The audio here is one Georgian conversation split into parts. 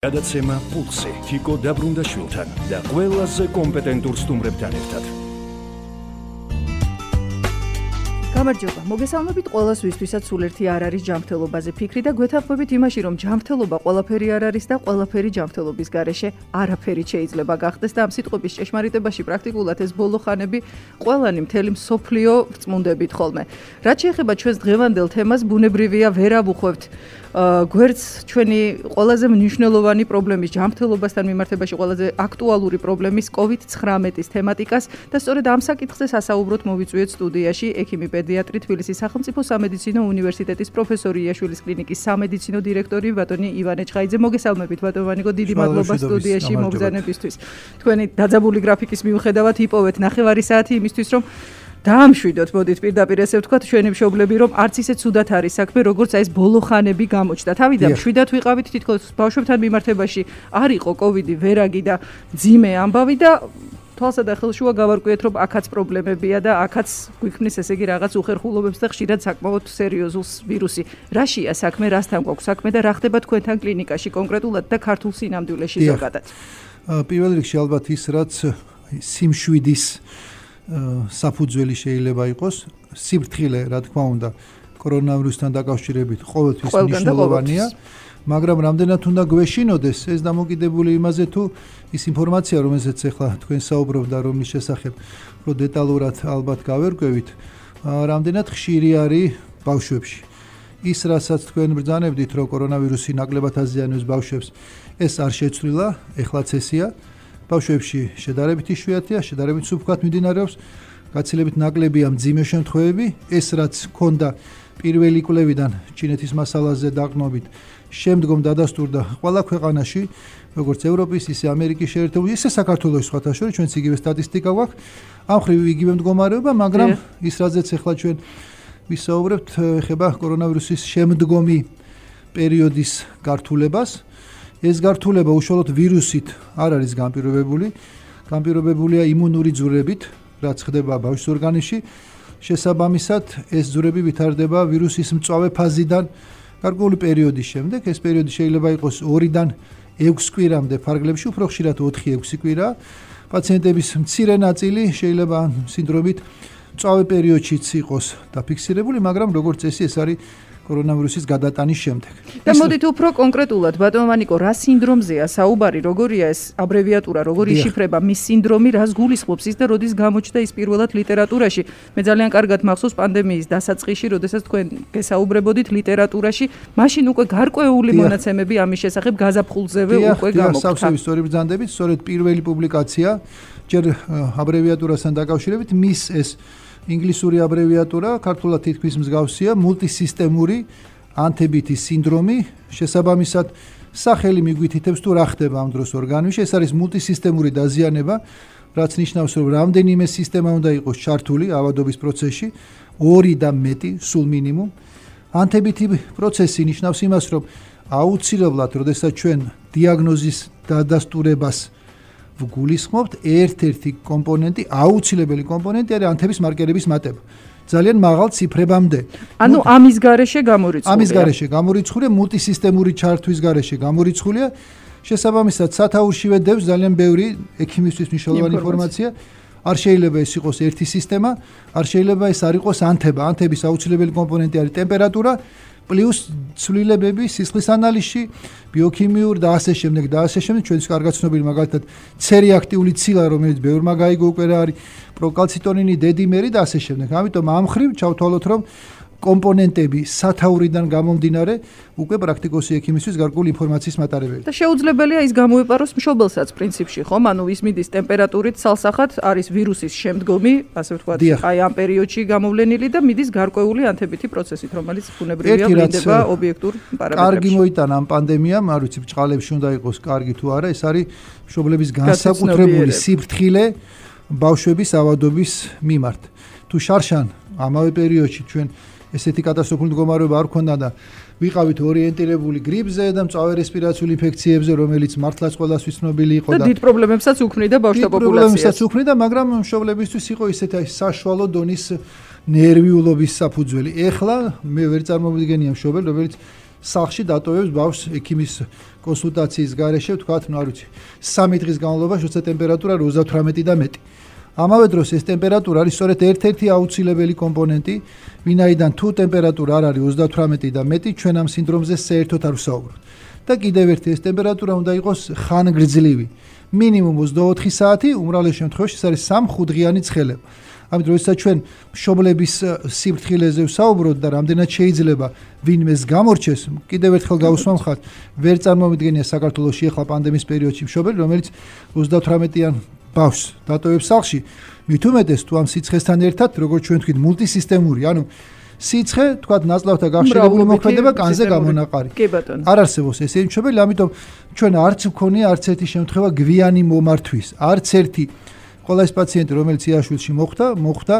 გადაცემა პულსი თიკო დაბრუნდაშვილთან და ყველაზე კომპეტენტურ სტუმრებთან ერთად. გამარჯობა, მოგესალმებით ყველას, ვისთვისაც სულ ერთი არ არის ჯანმრთელობაზე ფიქრი და გვეთანხმებით იმაში, რომ ჯანმრთელობა ყველაფერი არ არის და ყველაფერი ჯანმრთელობის გარეშე არაფერი შეიძლება გახდეს და ამ სიტყვების ჭეშმარიტებაში პრაქტიკულად ეს ბოლო ხანები ყველანი მთელი მსოფლიო ვწმუნდებით ხოლმე. რაც შეეხება ჩვენს დღევანდელ თემას, ბუნებრივია ვერ ავუხვევთ გვერდს ჩვენი ყველაზე მნიშვნელოვანი პრობლემის ჯანმრთელობასთან მიმართებაში ყველაზე აქტუალური პრობლემის COVID-19-ის თემატიკას და სწორედ ამ საკითხზე სასაუბროთ მოვიწვიეთ სტუდიაში ექიმი პედიატრი თბილისის სახელმწიფო სამედიცინო უნივერსიტეტის პროფესორი იაშვილის კლინიკის სამედიცინო დირექტორი ბატონი ივანე ჩხაიძე. მოგესალმებით ბატონო ვანიკო, დიდი მადლობა სტუდიაში მოგზაურობისთვის. თქვენი დაძაბული გრაფიკის მიუხედავად იპოვეთ ნახევარი საათი იმისთვის, რომ დაამშვიდოთ, მოდით პირდაპირ ესე ვთქვათ, ჩვენი მშობლები, რომ არც ისე ცუდად არის საქმე, როგორც აი ეს ბოლო ხანები გამოჩნდა. თავიდან მშვიდად ვიყავით, თითქოს ბავშვებთან მიმართებაში არ იყო კოვიდი, ვერაგი და ძიმე ამბავი და თვალსა და ხელშუა გავარკვიეთ, რომ აქაც პრობლემებია და აქაც გვიქმნის ესე იგი რაღაც უხერხულობებს და ხშირად საკმაოდ სერიოზულ ვირუსი. რაშია საქმე, რასთან გვაქვს საქმე და რა ხდება თქვენთან კლინიკაში კონკრეტულად და ქართულ სინამდვილეში ზოგადად? პირველ რიგში ალბათ ის, რაც სიმშვიდის საფუძველი შეიძლება იყოს, სიფრთხილე, რა თქმა უნდა, კორონავირუსთან დაკავშირებით ყოველთვის მნიშვნელოვანია, მაგრამ რამდენად უნდა გვეშინოდეს ეს დამოკიდებული იმაზე, თუ ის ინფორმაცია, რომელზეც ახლა თქვენ საუბრობთ და რომლის შესახებ უფრო დეტალურად ალბათ გავერკვევით, რამდენად ხშირი არის ბავშვებში. ის, რასაც თქვენ ბრძანებდით, რომ კორონავირუსი ნაკლებად აზიანებს ბავშვებს, ეს არ შეცვლილა, ეხლაც ესეა. ბავშვებში შედარებით იშვიათია, შედარებით სუფთად მიმდინარეობს, გაცილებით ნაკლებია მძიმე შემთხვევები. ეს რაც ჰქონდა პირველი კვლევიდან ჩინეთის მასალაზე დაყრდნობით, შემდგომ დადასტურდა ყველა ქვეყანაში, როგორც ევროპის, ისე ამერიკის შეერთებული, ისე საქართველოს სხვათა შორის, ჩვენც იგივე სტატისტიკა გვაქვს, ამ ხრივ იგივე მდგომარეობა, მაგრამ ის რაზეც ახლა ჩვენ ვისაუბრებთ, ეხება კორონავირუსის შემდგომი პერიოდის გართულებას. ეს გართულება უშუალოდ ვირუსით არ არის განპირობებული, განპირობებულია იმუნური ძვრებით, რაც ხდება ბავშვის ორგანიზმში. შესაბამისად, ეს ძვრები ვითარდება ვირუსის მწვავე ფაზიდან გარკვეული პერიოდის შემდეგ. ეს პერიოდი შეიძლება იყოს 2-დან 6 კვირამდე, ფარგლებში უფრო ხშირად 4-6 კვირა. პაციენტების მცირე ნაწილი შეიძლება სინდრომით მწვავე პერიოდშიც იყოს დაფიქსირებული, მაგრამ როგორც წესი ეს არის კორონავირუსის გადატანის შემდეგ. და მოდით უფრო კონკრეტულად, ბატონო ვანიკო, რა სინდრომზეა საუბარი, როგორია ეს აბრევიატურა, როგორი იშიფრება, მის სინდრომი, რას გულისხმობს ის და როდის გამოჩნდა ის პირველად ლიტერატურაში? მე ძალიან კარგად მახსოვს პანდემიის დასაწყისში, როდესაც თქვენ გესაუბრებოდით ლიტერატურაში, მაშინ უკვე გარკვეული მონაცემები ამის შესახებ გაზაფხულზევე უკვე გამოქვთ. სავსევის სწორი ბრძანდებით, სწორედ პირველი პუბლიკაცია ჯერ აბრევიატურასთან დაკავშირებით, მის ეს ინგლისური აბრევიატურა, ქართულად თითქმის მსგავსია, მულტისისტემური ანთებითის სინდრომი, შესაბამისად სახელი მიგვითითებს თუ რა ხდება ამ დროს ორგანიზმში. ეს არის მულტისისტემური დაზიანება, რაც ნიშნავს, რომ რამდენიმე სისტემა უნდა იყოს ჩართული ავადობის პროცესში, 2 და მეტი, სულ მინიმუმ. ანთებითი პროცესი ნიშნავს იმას, რომ აუცილებლად, როდესაც ჩვენ დიაგნოზის დადასტურებას ვგულისხმობთ, ერთ-ერთი კომპონენტი, აუცილებელი კომპონენტი არის ანთების მარკერების მატება. ძალიან მაღალ ციფრებამდე. ანუ ამის გარეშე გამორიცხულია. ამის გარეშე გამორიცხულია, მულტისისტემური ჩართვის გარეშე გამორიცხულია. შესაბამისად, სათაურშივე დევს ძალიან ბევრი ექიმისთვის მნიშვნელოვანი ინფორმაცია. არ შეიძლება ეს იყოს ერთი სისტემა, არ შეიძლება ეს არ იყოს ანთება. ანთების აუცილებელი კომპონენტი არის ტემპერატურა, პლუს ცვლილებები სისხლის ანალიზში, ბიოქიმიურ და ასე შემდეგ და ასე შემდეგ. ჩვენს კარგად ცნობილი მაგალითად C-რეაქტიული ცილა, რომელიც ბევრმა გაიგო უკვე რა არის, პროკალციტონინი, დედიმერი და ასე შემდეგ. ამიტომ ამ ხრივ ჩავთვალოთ, რომ კომპონენტები სათაურიდან გამომდინარე უკვე პრაქტიკოსი ექიმისთვის გარკვეული ინფორმაციის მატარებელი. და შეუძლებელია ის გამოეპაროს მშობელსაც პრინციპში, ხომ? ანუ ის მიდის ტემპერატურით ცალსახად არის ვირუსის შემდგომი, ასე ვთქვათ, აი ამ პერიოდში გამოვლენილი და მიდის გარკვეული ანთებითი პროცესით, რომელიც ბუნებრივია ვლინდება ობიექტურ პარამეტრებში. კარგი მოიტანა ამ პანდემიამ, არ ვიცი, ბჭყალებში უნდა იყოს კარგი თუ არა, ეს არის მშობლების განსაკუთრებული სიფრთხილე ბავშვების ავადობის მიმართ. თუ შარშან ამავე პერიოდში ჩვენ ესეთი კატასტროფული მდგომარეობა არ ქონდა და ვიყავით ორიენტირებული გრიპზე და მწვავე რესპირაციული ინფექციებზე, რომელიც მართლაც ყველასთვის ცნობილი იყო და დიდ პრობლემებსაც უქმნიდა ბავშვთა პოპულაციას. მაგრამ მშობლებისთვის იყო ისეთი საშუალო დონის ნერვიულობის საფუძველი. ეხლა მე ვერ წარმოვიდგენია მშობელი, რომელიც სახლში დატოვებს ბავშვს ექიმის კონსულტაციის გარეშე, ვთქვათ, არ ვიცი, 3 დღის განმავლობაში, როცა ტემპერატურა 38 და მეტი. ამავე დროს ეს ტემპერატურა არის სწორედ ერთ-ერთი აუცილებელი კომპონენტი, ვინაიდან თუ ტემპერატურა არ არის 38 და მეტი, ჩვენ ამ სინდრომზე საერთოდ არ ვსაუბრობთ. და კიდევ ერთი ეს ტემპერატურა უნდა იყოს ხანგრძლივი. მინიმუმ 24 საათი, უმრავლეს შემთხვევაში ეს არის 3-5 დღიანი ცხელება. ამიტომ როდესაც ჩვენ მშობლების სიფრთხილეზე ვსაუბრობთ და რამდენად შეიძლება ვინმეს გამორჩეს, კიდევ ერთხელ გავუსვამხართ, ვერ წარმოვიდგენია საქართველოში ახლა პანდემიის პერიოდში მშობელი, რომელიც 38-იან ბავშვს დატოვებს სახლში, მით უმეტეს თუ ამ სიცხესთან ერთად, როგორც ჩვენ ვთქვით, მულტისისტემური, ანუ სიცხე, თქვათ, ნაწლავთა გახშირებული მოქმედება კანზე გამონაყარი. არ არსებობს ესეთი მშობელი, ამიტომ ჩვენ არც ვქონია არც ერთი შემთხვევა გვიანი მომართვის, არც ერთი ყველა ეს პაციენტი, რომელიც იაშვილში მოხვდა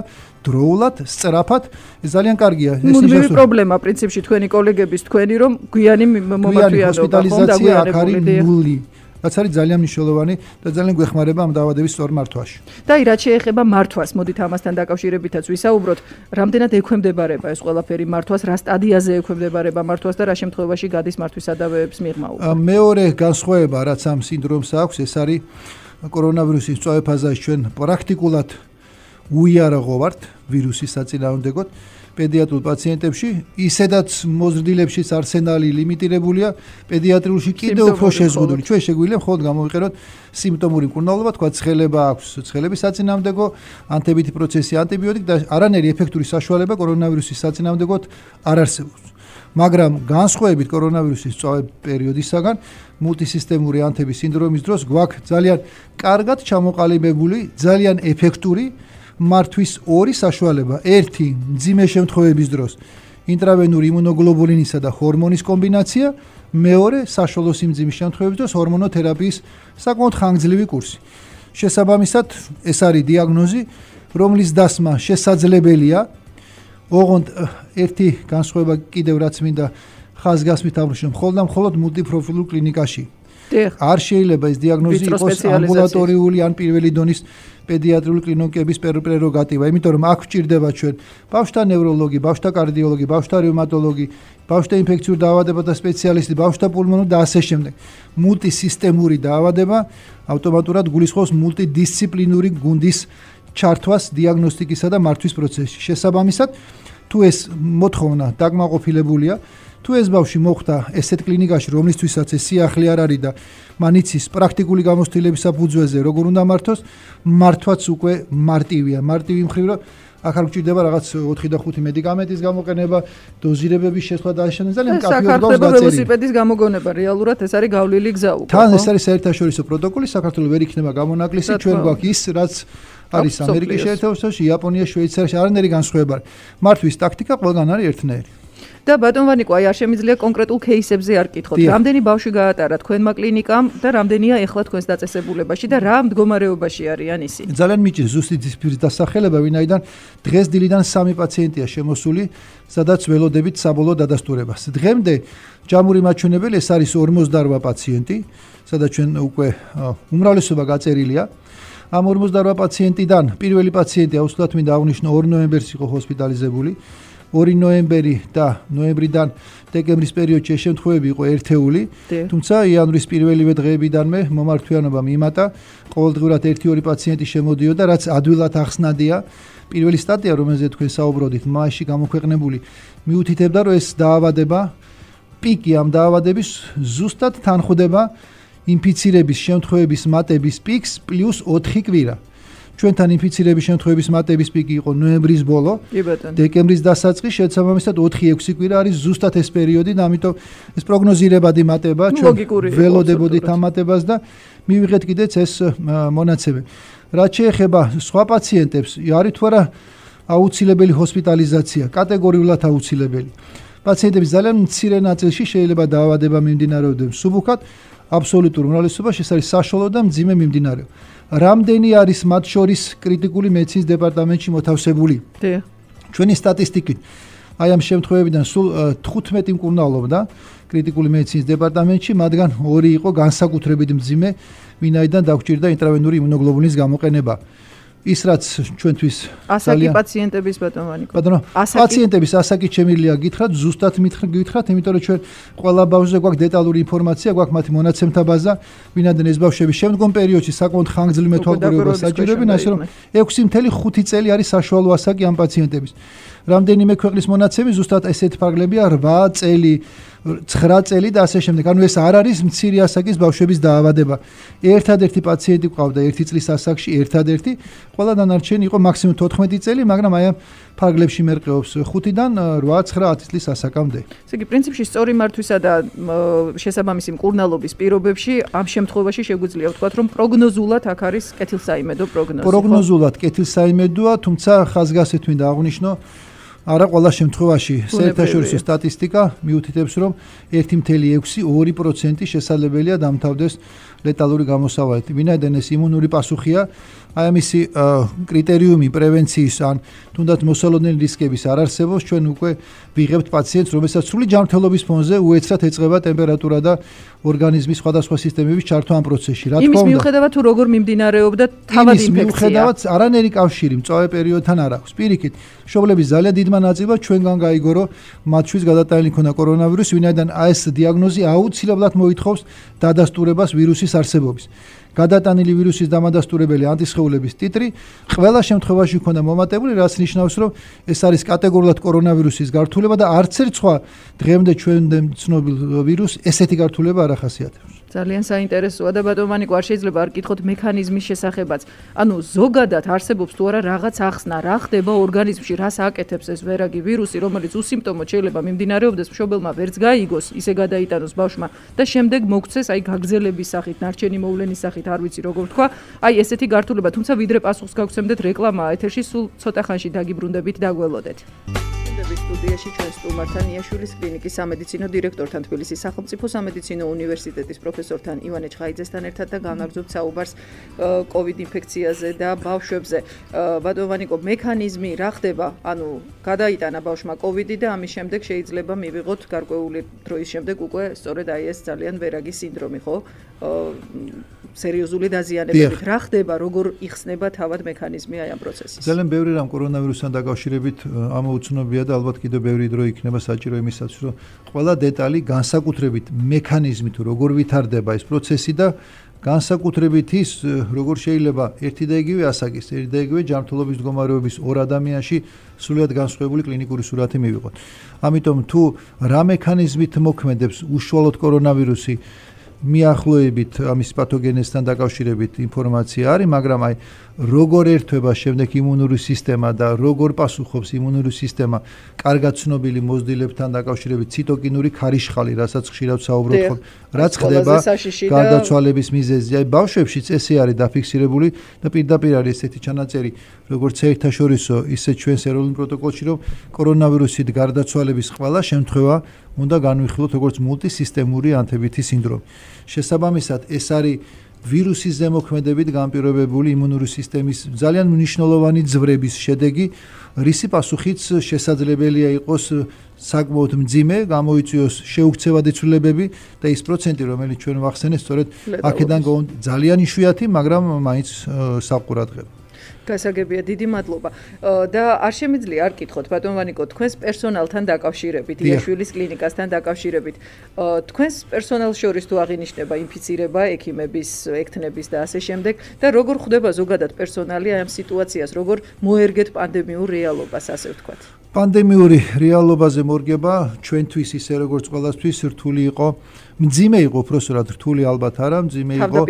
დროულად, სწრაფად, ეს ძალიან კარგია. მუდმივი პრობლემა პრინციპში თქვენი კოლეგების, თქვენი რომ გვიანი მომართვიანობა, ჰოსპიტალიზაცია აქ არის ნული. რაც არის ძალიან მნიშვნელოვანი და ძალიან გვეხმარება ამ დაავადების სწორ მართვაში. და რაც შეეხება მართვას, მოდით ამასთან დაკავშირებითაც ვისაუბროთ, რამდენად ექვემდებარება ეს ყველაფერი მართვას, რა სტადიაზე ექვემდებარება მართვას და რა შემთხვევაში გადის მართვის სადავეების მიღმა უკვე. მეორე განსხვავება, რაც ამ სინდრომს აქვს, ეს არის კორონავირუსის მწვავე ფაზაში ჩვენ პრაქტიკულად უიარაღო ვართ ვირუსის საწინააღმდეგოდ პედიატრულ პაციენტებში, ისედაც მოზრდილებშიც არსენალი ლიმიტირებულია, პედიატრიულში კიდევ უფრო შეზღუდული. ჩვენ შეგვიძლია მხოლოდ გამოვიყენოთ სიმპტომური მკურნალობა, თქვა ცხელება აქვს, ცხელების საწინააღმდეგო, ანთებითი პროცესი, ანტიბიოტიკი და არანაირი ეფექტური საშუალება კორონავირუსის საწინააღმდეგოდ არ არსებობს. მაგრამ განსხვავებით კორონავირუსის მწვავე პერიოდისაგან, მულტისისტემური ანთების სინდრომის დროს გვაქვს ძალიან კარგად ჩამოყალიბებული, ძალიან ეფექტური მართვის ორი საშუალება. ერთი, მძიმე შემთხვევების დროს ინტრავენური იმუნოგლობულინისა და ჰორმონის კომბინაცია, მეორე, საშუალო სიმძიმის შემთხვევების დროს ჰორმონოთერაპიის საკმაოდ ხანგრძლივი კურსი. შესაბამისად, ეს არის დიაგნოზი, რომლის დასმა შესაძლებელია. ოღონდ ერთი განსხვავება კიდევ რაც მინდა ხაზგასმით აბრუნო, მხოლოდ მულტიპროფილურ კლინიკაში. არ შეიძლება ეს დიაგნოზი იყოს ამბულატორიული ან პირველი დონის პედიატრიული კლინიკების პრეროგატივა, იმიტომ რომ აქ გვჭირდება ჩვენ ბავშვთა ნევროლოგი, ბავშვთა კარდიოლოგი, ბავშვთა რევმატოლოგი, ბავშვთა ინფექციურ დაავადებათა სპეციალისტი, ბავშვთა პულმონოლოგი და ასე შემდეგ. მულტისისტემური დაავადება ავტომატურად გულისხმობს მულტიდისციპლინური გუნდის ჩართვას დიაგნოსტიკისა და მართვის პროცესში. შესაბამისად, თუ ეს მოთხოვნა დაკმაყოფილებულია, თუ ეს ბავშვი მოხვდა ესეთ კლინიკაში, რომლისთვისაც ეს სიახლე არ არის და მან იცის პრაქტიკული გამოცდილების საფუძველზე როგორ უნდა მართოს, მართვაც უკვე მარტივია. მარტივი მხრივ, რომ აქ არ გვჭირდება რაღაც 4 და 5 მედიკამენტის გამოყენება, დოზირებების შესვლა და ასე ძალიან კაფეო გავს დაწერილი. საქართველოს ველოსიპედის გამოგონება რეალურად ეს არის გავლილი გზა უკვე. თან ეს არის საერთაშორისო პროტოკოლი, საქართველოს ვერ იქნება გამონაკლისი, ჩვენ გვაქვს ის, რაც არის ამერიკის შეერთებულ შტატებში, იაპონიაში, შვეიცარიაში, არანაირი განსხვავება. მართვის ტაქტიკა ყველგან არის ერთნაირი. და ბატონ ვანიკო, აი არ შემიძლია კონკრეტულ кейსებზე არ კითხოთ. რამდენი ბავშვი გაატარა თქვენმა კლინიკამ და რამდენია ეხლა თქვენს დაწესებულებაში და რა მდგომარეობაში არიან ისინი? ძალიან მიჭირს ზუსტი ციფრის დასახელება, ვინაიდან დღეს დილიდან 3 პაციენტია შემოსული, სადაც ველოდებით საბოლოო დადასტურებას. დღემდე ჯამური მაჩვენებელი ეს არის 48 პაციენტი, სადაც ჩვენ უკვე უმრავლესობა გაწერილია. ამ 48 პაციენტიდან პირველი პაციენტი აუცილებლად მინდა აღნიშნო 2 ნოემბერს იყო ჰოსპიტალიზებული. 2 ნოემბერი და ნოემბრიდან დეკემბრის პერიოდში ეს შემთხვევები იყო ერთეული, თუმცა იანვრის პირველივე დღეებიდანვე მომართვიანობა მიმატა, ყოველდღურად 1-2 პაციენტი შემოდიოდა, რაც ადვილად ახსნადია. პირველი სტატია, რომელზეც თქვენ საუბრობდით, მაისში გამოქვეყნებული, მიუთითებდა, რომ ეს დაავადება, პიკი ამ დაავადების ზუსტად თანხვდება ინფიცირების შემთხვევების მატების პიკს პლუს 4 კვირა. ჩვენთან ინფიცირების შემთხვევების მატების პიკი იყო ნოემბრის ბოლო, დეკემბრის დასაწყისში, შესაბამისად 4-6 კვირა არის ზუსტად ეს პერიოდი და ამიტომ ეს პროგნოზირებადი მატება, ჩვენ ველოდებოდით ამ მატებას და მივიღეთ კიდეც ეს მონაცემები. რაც შეეხება სხვა პაციენტებს, არის თუ არა აუცილებელი ჰოსპიტალიზაცია, კატეგორიულად აუცილებელი. პაციენტების ძალიან მცირე ნაწილში შეიძლება დაავადება მიმდინარეობდეს მსუბუქად, აბსოლუტურ უმრავლესობაში ეს არის საშუალო და მძიმე მიმდინარეობა. რამდენი არის მათ შორის კრიტიკული მედიცინის დეპარტამენტში მოთავსებული? ჩვენი სტატისტიკით აი ამ შემთხვევებიდან სულ 15 მკურნალობდა კრიტიკული მედიცინის დეპარტამენტში, მათგან 2 იყო განსაკუთრებით მძიმე, ვინაიდან დაგვჭირდა ინტრავენური იმუნოგლობულინის გამოყენება. ის რაც ჩვენთვის ასაკი პაციენტების ბატონო ბატონო პაციენტების ასაკი შემიძლია გითხრათ ზუსტად გითხრათ იმიტომ რომ ჩვენ ყველა ბავშვზე გვაქვს დეტალური ინფორმაცია გვაქვს მათი მონაცემთა ბაზა ვინაიდან ეს ბავშვები შემდგომ პერიოდში საკმაოდ ხანგრძლივ თვალყურებას საჭიროებენ ასე რომ 6.5 წელი არის საშუალო ასაკი ამ პაციენტების რამდენიმე ქვეყნის მონაცემი ზუსტად ესეთი ფარგლებია 8 წელი 9 წელი და ასე შემდეგ. ანუ ეს არ არის მცირე ასაკის ბავშვების დაავადება. ერთადერთი პაციენტი ყავდა 1 წლის ასაკში, ერთადერთი, ყველა დანარჩენი იყო მაქსიმუმ 14 წელი, მაგრამ აი ამ ფარგლებში მერყეობს 5-დან 8-9-10 წლის ასაკამდე. ესე იგი, პრინციპში სწორი მართვისა და შესაბამისი მკურნალობის პირობებში ამ შემთხვევაში შეგვიძლია ვთქვათ, რომ პროგნოზულად აქ არის კეთილსაიმედო პროგნოზი. პროგნოზულად კეთილსაიმედოა, თუმცა ხაზგასით მინდა აღვნიშნო არა ყველა შემთხვევაში საერთაშორისო სტატისტიკა მიუთითებს რომ 1.6-2% შესაძლებელია დამთავრდეს ლეტალური გამოსავალით. ვინაიდან ეს იმუნური პასუხია, აი ამისი კრიტერიუმი პრევენციის ან თუნდაც მოსალოდნელი რისკების არ არსებობს, ჩვენ უკვე ვიღებთ პაციენტს, რომელსაც სრული ჯანმრთელობის ფონზე უეცრად ეწყება ტემპერატურა და ორგანიზმის სხვადასხვა სისტემების ჩართვა ამ პროცესში. რა თქმა უნდა, იმის მიუხედავად თუ როგორ მიმდინარეობდა თავად ინფექცია. მიუხედავად არანაირი კავშირი მწვავე პერიოდთან არ აქვს. პირიქით, მშობლების ძალიან დიდმა ნაწილმა ჩვენგან გაიგო, რომ მათთვის გადატანილი ქონდა კორონავირუსი, ვინაიდან ეს დიაგნოზი აუცილებლად მოითხოვს დადასტურებას ვირუსის არსებობის. გადატანილი ვირუსის დამადასტურებელი ანტისხეულების ტიტრი ყველა შემთხვევაში ქონდა მომატებული, რაც ნიშნავს, რომ ეს არის კატეგორიულად კორონავირუსის გართულება და არც ერთ სხვა დღემდე ჩვენამდე ცნობილ ვირუსს ესეთი გართულება არ ახასიათებს. ძალიან საინტერესოა და ბატონო არ შეიძლება არ გითხოთ მექანიზმის შესახებაც. ანუ ზოგადად არსებობს თუ არა რაღაც ახსნა, რა ხდება ორგანიზმში, რას აკეთებს ეს ვერაგი ვირუსი, რომელიც უსიმპტომოდ შეიძლება მიმდინარეობდეს, მშობელმა ვერც გაიგოს, ისე გადაიტანოს ბავშვმა და შემდეგ მოგცეს აი გაგზელების სახით, ნარჩენი მოვლენის სახით, არ ვიცი როგორ თქვა, აი ესეთი გართულება, თუმცა ვიდრე პასუხს გავგცემდეთ რეკლამაა ეთერში, სულ ცოტა ხანში დაგიბრუნდებით, დაგველოდეთ. სტუდიაში ჩვენ სტუმართან იაშვილის კლინიკის სამედიცინო დირექტორთან თბილისის სახელმწიფო სამედიცინო უნივერსიტეტის პროფესორთან ივანე ჩხაიძესთან ერთად და განაგრძობთ საუბარს COVID ინფექციაზე და ბავშვებზე. ბატონო, მექანიზმი რა ხდება? ანუ გადაიტანა ბავშვმა COVID და ამის შემდეგ შეიძლება მივიღოთ გარკვეული დროის შემდეგ უკვე სწორედ აი ეს ძალიან ვერაგი სინდრომი, ხო? სერიოზული დაზიანებებით. რა ხდება, როგორ იხსნება თავად მექანიზმი აი ამ პროცესის? ძალიან ბევრი რამ კორონავირუსთან დაკავშირებით ამოუცნობია და ალბათ კიდევ ბევრი დრო იქნება საჭირო იმისათვის, რომ ყველა დეტალი განსაკუთრებით მექანიზმი თუ როგორ ვითარდება ეს პროცესი და განსაკუთრებით ის, როგორ შეიძლება ერთი და იგივე ასაკის, ერთი და იგივე ჯანმრთელობის მდგომარეობის ორ ადამიანში სრულიად განსხვავებული კლინიკური სურათი მივიღოთ. ამიტომ თუ რა მექანიზმით მოქმედებს უშუალოდ კორონავირუსი მიახლოებით ამის პათოგენესთან დაკავშირებით ინფორმაცია არის, მაგრამ აი როგორ ერთვება შემდეგ იმუნური სისტემა და როგორ პასუხობს იმუნური სისტემა კარგად ცნობილი მოზრდილებთან დაკავშირებით ციტოკინური ქარიშხალი, რასაც ხშირად საუბრობთ, რაც ხდება გარდაცვალების მიზეზი. აი ბავშვებშიც ესე არის დაფიქსირებული და პირდაპირ არის ესეთი ჩანაწერი, როგორც საერთაშორისო, ისე ჩვენს ეროვნულ პროტოკოლში, რომ კორონავირუსით გარდაცვალების ყველა შემთხვევა უნდა განვიხილოთ როგორც მულტისისტემური ანთებითი სინდრომი. შესაბამისად, ეს არის ვირუსის ზემოქმედებით განპირობებული იმუნური სისტემის ძალიან მნიშვნელოვანი ძვრების შედეგი, რისი პასუხიც შესაძლებელია იყოს საკმაოდ მძიმე, გამოიწვიოს შეუქცევადი ცვლილებები და ის პროცენტი, რომელიც ჩვენ ვახსენეთ, სწორედ აქედან ძალიან იშვიათი, მაგრამ მაინც საყურადღებო. გასაგებია, დიდი მადლობა. და არ შემიძლია არ გითხოთ, ბატონ ვანიკო, თქვენს პერსონალთან დაკავშირებით, იაშვილის კლინიკასთან დაკავშირებით, თქვენს პერსონალს შორის თუ აღინიშნება ინფიცირება, ექიმების, ექთნების და ასე შემდეგ და როგორ ხვდება ზოგადად პერსონალი ამ სიტუაციას, როგორ მოერგეთ პანდემიურ რეალობას, ასე ვთქვათ. პანდემიური რეალობაზე მორგება ჩვენთვის ისე როგორც ყველასთვის რთული იყო, მძიმე იყო უბრალოდ რთული ალბათ არა, მძიმე იყო.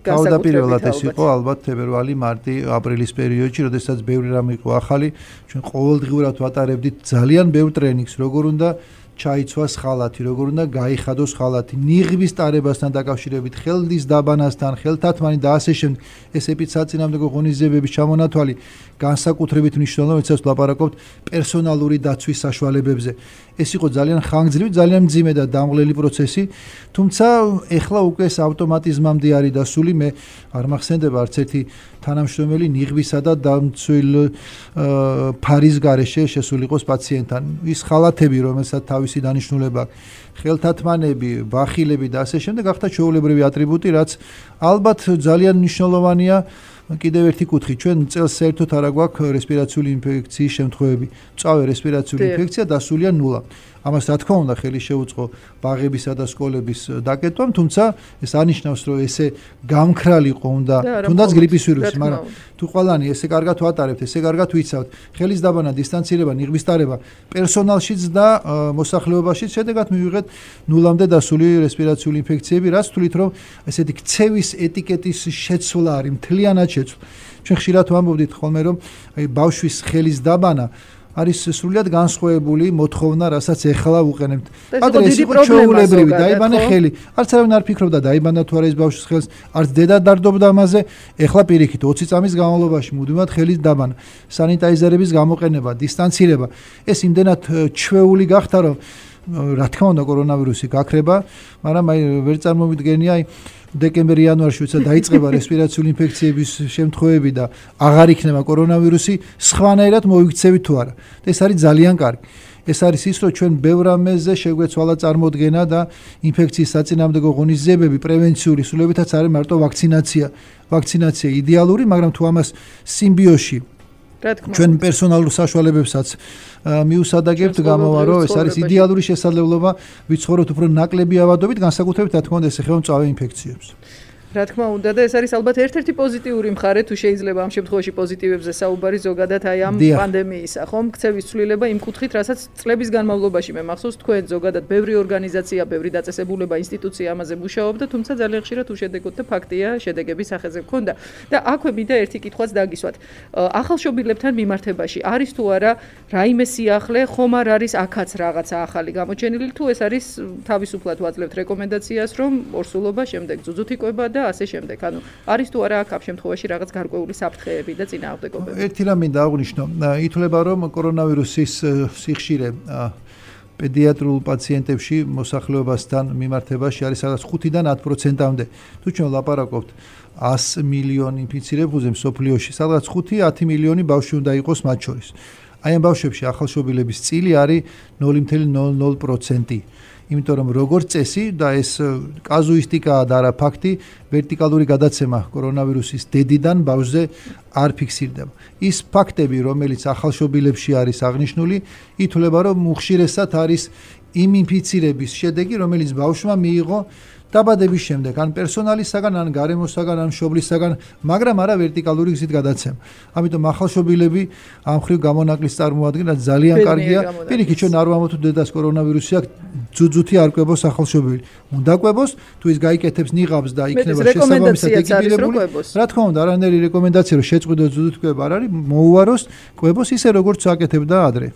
თავდაპირველად ეს იყო ალბათ თებერვალი, მარტი, აპრილის პერიოდში, როდესაც ბევრი რამ იყო ახალი, ჩვენ ყოველდღიურად ვატარებდით ძალიან ბევრ ტრენინგს, როგორ უნდა ჩაიცვას ხალათი, როგორ უნდა გაიხადოს ხალათი, ნიღბის ტარებასთან დაკავშირებით, ხელის დაბანასთან, ხელთათმანი და ასე შემდეგ. ეს ეპიდსაწინააღმდეგო ღონისძიებების ჩამონათვალი განსაკუთრებით მნიშვნელოვანია, როდესაც ვლაპარაკობთ პერსონალური დაცვის საშუალებებზე. ეს იყო ძალიან ხანგრძლივი, ძალიან მძიმე და დამღლელი პროცესი, თუმცა ეხლა უკვე ეს ავტომატიზმამდე არის დასული, მე არ მახსენდება არც ერთი თანამშრომელი ნიღბისა და დამცველ ფარის გარეშე შესული იყოს პაციენტთან. ის ხალათები, რომელსაც თავისი დანიშნულება ხელთათმანები, ბახილები და ასე შემდეგ, ახლა ჩვეულებრივი ატრიბუტი, რაც ალბათ ძალიან მნიშვნელოვანია კიდევ ერთი კუთხე, ჩვენ წელს საერთოდ არ აგვაქვს რესპირაციული ინფექციის შემთხვევები. მწვავე რესპირაციული ინფექცია დასულია 0. ამას რა თქმა უნდა ხელი შეუწყო ბაღებისა და სკოლების დაკეტვამ, თუმცა ეს არნიშნავს, რომ ესე გამქრალი იყო უნდა თუნდაც გრიპის ვირუსი, მაგრამ თუ ყველანი ესე კარგად ვატარებთ, ესე კარგად ვიცავთ, ხელის დაბანა, დისტანცირება, ნიღბის ტარება პერსონალშიც და მოსახლეობაშიც, შედეგად მივიღეთ 0-მდე დასული რესპირაციული ინფექციები, რაც თვლით, რომ ესეთი ქცევის ეტიკეტის შეცვლა არის, მთლიანად შეცვლა. ჩვენ ხშირად ვამბობდით ხოლმე, რომ აი ბავშვის ხელის დაბანა არის სრულიად განსხვავებული მოთხოვნა, რასაც ეხლა უყენებთ. ადრე ეს იყო ჩვეულებრივი, დაიბანა ხელი. არც არავინ არ ფიქრობდა დაიბანა თუ არა ეს ბავშვის ხელს, არც დედა დარდობდა ამაზე. ეხლა პირიქით 20 წამის განმავლობაში მუდმივად ხელის დაბანა, სანიტაიზერების გამოყენება, დისტანცირება. ეს იმდენად ჩვეული გახდა, რომ რა თქმა უნდა კორონავირუსი გაქრება, მაგრამ აი ვერ წარმოვიდგენია აი დეკემბერ-იანვარში როცა დაიწყება რესპირაციული ინფექციების შემთხვევები და აღარ იქნება კორონავირუსი, სხვანაირად მოიქცევით თუ არა. ეს არის ძალიან კარგი. ეს არის ის, რომ ჩვენ ბევრ რამეზე შეგვეცვალა წარმოდგენა და ინფექციის საწინააღმდეგო ღონისძიებები პრევენციული სრულებითაც არის მარტო ვაქცინაცია. ვაქცინაცია იდეალური, მაგრამ თუ ამას სიმბიოში ჩვენ პერსონალურ საშუალებებსაც მიუსადაგებთ, გამოვა რომ ეს არის იდეალური შესაძლებლობა ვიცხოვროთ უფრო ნაკლები ავადობით, განსაკუთრებით რა თქმა უნდა ეს ეხება მწვავე ინფექციებს. რა თქმა უნდა და ეს არის ალბათ ერთ-ერთი პოზიტიური მხარე, თუ შეიძლება ამ შემთხვევაში პოზიტივებზე საუბარი ზოგადად აი ამ პანდემიისა, ხომ? ქცევის ცვლილება იმ კუთხით, რასაც წლების განმავლობაში მე მახსოვს თქვენ ზოგადად ბევრი ორგანიზაცია, ბევრი დაწესებულება, ინსტიტუცია ამაზე მუშაობდა, თუმცა ძალიან ხშირად უშედეგოდ და ფაქტია შედეგების სახეზე მქონდა. და აქვე მინდა ერთი კითხვაც დაგისვათ. ახალშობილებთან მიმართებაში არის თუ არა რაიმე სიახლე, ხომ არ არის აქაც რაღაცა ახალი გამოჩენილი, თუ ეს არის თავისუფლად ვაძლევთ რეკომენდაციას, რომ ორსულობა შემდეგ ძუძუთიკვება და ასე შემდეგ. ანუ არის თუ არა აქ ამ შემთხვევაში რაღაც გარკვეული საფრთხეები და წინააღმდეგობები? ერთი რამ მინდა აღვნიშნო. ითვლება რომ კორონავირუსის სიხშირე პედიატრულ პაციენტებში მოსახლეობასთან მიმართებაში არის სადაც 5-დან 10%-მდე. თუ ჩვენ ლაპარაკობთ 100 მილიონი ინფიცირებულზე მსოფლიოში, სადაც 5-10 მილიონი ბავშვი უნდა იყოს მათ შორის. აი ამ ბავშვებში ახალშობილების წილი არის 0.00%. იმიტომ რომ როგორც წესი და ეს კაზუისტიკაა და არა ფაქტი, ვერტიკალური გადაცემა კორონავირუსის დედიდან ბავშვზე არ ფიქსირდება. ის ფაქტები, რომელიც ახალშობილებში არის აღნიშნული, ითვლება რომ უხშირესად არის იმ ინფიცირების შედეგი, რომელიც ბავშვმა მიიღო დაბადების შემდეგ, ან პერსონალისაგან, ან გარემოსაგან, ან მშობლისაგან, მაგრამ არა ვერტიკალური გზით გადაცემა. ამიტომ ახალშობილები ამ ხრივ გამონაკლის წარმოადგენა ძალიან კარგია. პირიქით ჩვენ არ ვამბობთ დედას კორონავირუსი აქვს, ძუძუთი არ კვებოს ახალშობილი. უნდა კვებოს, თუ ის გაიკეთებს ნიღაბს და იქნება შესაბამისად ეკიპირებული. რა თქმა უნდა, არანაირი რეკომენდაცია რომ შეწყვიტოს ძუძუთი კვება არ არის, მოუაროს კვებოს ისე როგორც აკეთებდა ადრე.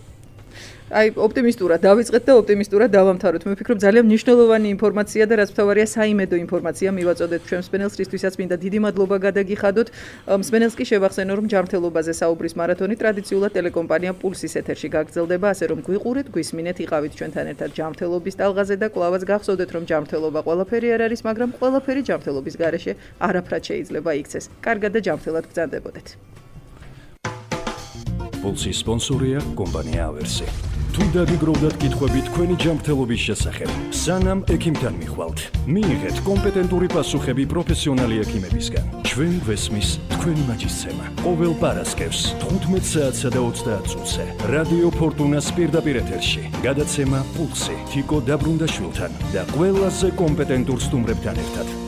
აი ოპტიმისტურად დავიწყეთ და ოპტიმისტურად დავამთავროთ. მე ვფიქრობ ძალიან მნიშვნელოვანი ინფორმაცია და რაც მთავარია საიმედო ინფორმაცია მივაწოდეთ ჩვენ მსმენელს, რისთვისაც მინდა დიდი მადლობა გადაგიხადოთ. მსმენელს კი შევახსენო რომ ჯანმრთელობაზე საუბრის მარათონი ტრადიციულად ტელეკომპანია პულსის ეთერში გაგრძელდება, ასე რომ გვიყურეთ, გვისმინეთ, იყავით ჩვენთან ერთად ჯანმრთელობის ტალღაზე და კვლავაც გახსოვდეთ რომ ჯანმრთელობა ყველაფერი არ არის, მაგრამ ყველაფერი ჯანმრთელობის გარეშე არაფრად შეიძლება იქცეს. კარგად და ჯანმრთელად ბრძანდებოდეთ. პულსის სპონსორია კომპანია ავერსი. თუ დაგიგროვდათ კითხვები თქვენი ჯანმრთელობის შესახებ, სანამ ექიმთან მიხვალთ, მიიღეთ კომპეტენტური პასუხები პროფესიონალი ექიმებისგან. ჩვენ გვესმის თქვენი მაჯისცემა. ყოველ პარასკევს 15 საათსა და 30 წუთზე რადიო ფორტუნას პირდაპირ ეთერში გადაცემა პულსი თიკო დაბრუნდაშვილთან და ყველაზე კომპეტენტურ სტუმრებთან ერთად.